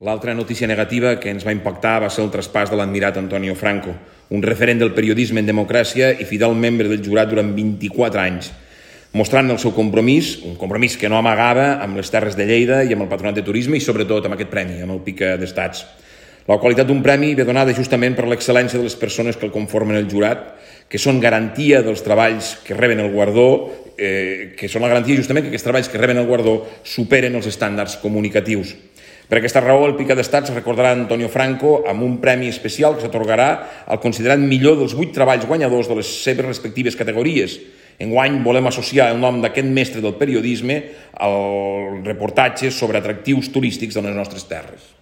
L'altra notícia negativa que ens va impactar va ser el traspàs de l'admirat Antonio Franco, un referent del periodisme en democràcia i fidel membre del jurat durant 24 anys, mostrant el seu compromís, un compromís que no amagava amb les terres de Lleida i amb el Patronat de Turisme i sobretot amb aquest premi, amb el Pica d'Estats. La qualitat d'un premi ve donada justament per l'excel·lència de les persones que el conformen el jurat, que són garantia dels treballs que reben el guardó, que són la garantia justament que aquests treballs que reben el guardó superen els estàndards comunicatius. Per aquesta raó, el Pica d'Estats recordarà Antonio Franco amb un premi especial que s'atorgarà al considerat millor dels 8 treballs guanyadors de les seves respectives categories. Enguany volem associar el nom d'aquest mestre del periodisme al reportatge sobre atractius turístics de les nostres terres.